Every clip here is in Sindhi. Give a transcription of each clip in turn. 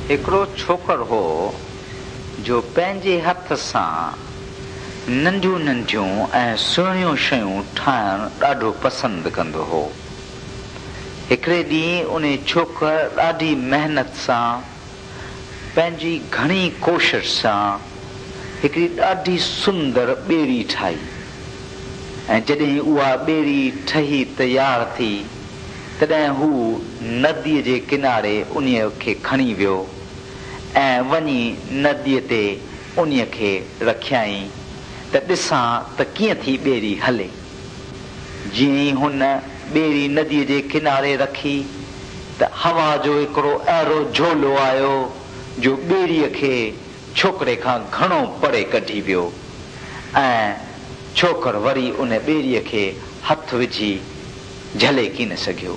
هڪڙو ڇوڪر هو جو پنهنجي هٿ سان ننڍيون ننڍيون ۽ سهڻيون شيون ٺاهڻ ڏاڍو پسند ڪندو هو. هڪڙي ڏينهن انهي ڇوڪر ڏاڍي محنت سان پنهنجي گهڻي ڪوشش سان هڪڙي ڏاڍي سندر ٻيڙي ٺاهي ۽ جڏهن اها ٻيڙي ٺهي تيار ٿي تڏهن هو نديء جي ڪناري انهيء کي کڻي ويو ۽ وڃي نديء تي انهيء کي رکيائين ته ڏسان ته ڪيئن ٿي ٻيڙي هلي. جيئن ئي هن ٻيڙي نديء جي ڪناري رکي ته هوا جو هڪڙو اهڙو جهولو آيو جو ٻيڙيء کي ڇوڪري کان گهڻو پري ڪڍي ويو ۽ ڇوڪر وري ان ٻيڙيء کي هٿ وجهي جهلي ڪين سگهيو.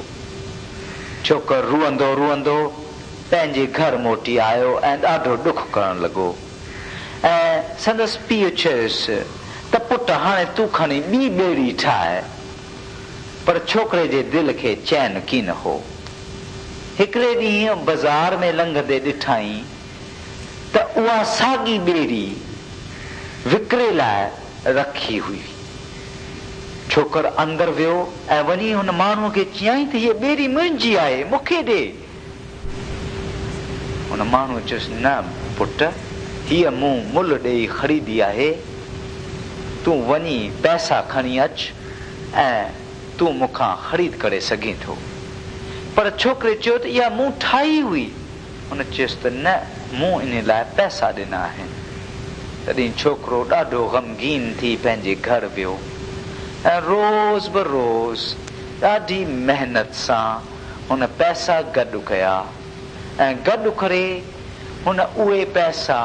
ڇوڪر روئندو روئندو پنهنجي گهر موٽي آيو ۽ ڏاڍو ڏک ڪرڻ لڳو ۽ سندس پيء چيس ته پٽ هاڻي تون کڻي ٻي ٻيڙي ٺاهه. پر ڇوڪري جي دل کي چين ڪين هو. هڪڙي ڏينهن بزار ۾ لنگهندي ڏٺائين ته اها ساڳي ٻيڙي وڪري لاء رکي هئي. ڇوڪر اندر ويو ۽ وڃي هن ماڻهوء کي چيائين ته هيء ٻيڙي منهنجي آهي، مون کي ڏي. هن ماڻهوء چيس، نه پٽ، هيء مون ملهه ڏيئي خريدي آهي، تون وڃي پئسا کڻي اچ ۽ تون مون کان خريد ڪري سگهين ٿو. پر ڇوڪري چيو ته اها مون ٺاهي هئي. هن چيس ته نه، مون انهي لاء پئسا ڏنا آهن. تڏهن ڇوڪرو ڏاڍو غمگين ٿي پنهنجي گهر ويو ۽ روز به روز ڏاڍي محنت سان هن پئسا گڏ ڪيا ۽ گڏ ڪري هن اهي پئسا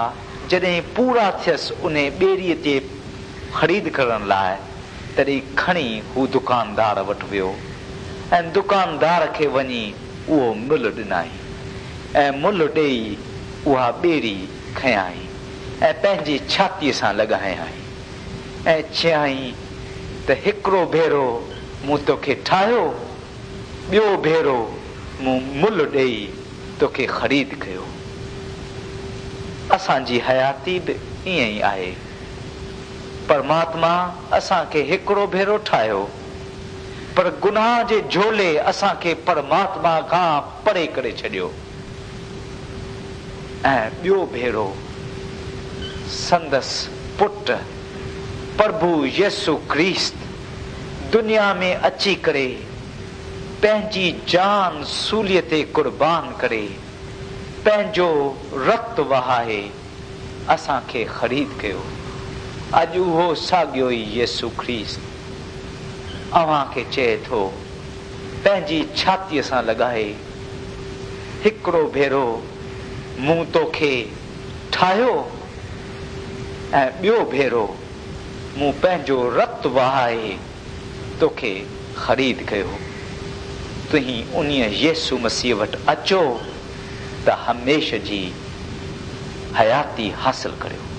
جڏهن پورا ٿيس انهي ٻيڙيء تي خريد ڪرڻ لاء تڏهن کڻي هو دڪاندار وٽ ويو ۽ دڪاندار کي وڃي اهو ملهه ڏنائين ۽ ملهه ڏيئي اها ٻيڙي کنيائين ۽ پنهنجي ڇاتيء سان لڳايائين ۽ چيائين ته هڪڙو ڀيرو مون توکي ٺاهيو، ٻيو ڀيرو مون ملهه ڏيئي توکي خريد ڪيو. اسان جي حياتي به ائين ئي آهي. پرماتما اسان کي هڪڙو ڀيرو ٺاهيو. پر گناهه جي جهولي اسان کي پرماتما کان پري ڪري ڇڏيو ۽ ٻيو ڀيرو سندس پٽ پرڀو يسوع ڪريست دنيا ۾ اچي ڪري پنهنجي جان سوليء تي قربان ڪري پنهنجو رت وهائي اسان کي خريد ڪيو. اڄ اهو ساڳيو ئي يسوع ڪريست اوهان کي چئي ٿو، پنهنجي ڇاتيء سان لڳائي، هڪڙو ڀيرو مون توکي ٺاهيو ۽ ٻيو ڀيرو مون پنهنجو رت وهائي توکي خريد ڪيو. توهين انهيء يسوع مسيح وٽ اچو ته هميشه جي حياتي حاصل ڪريو.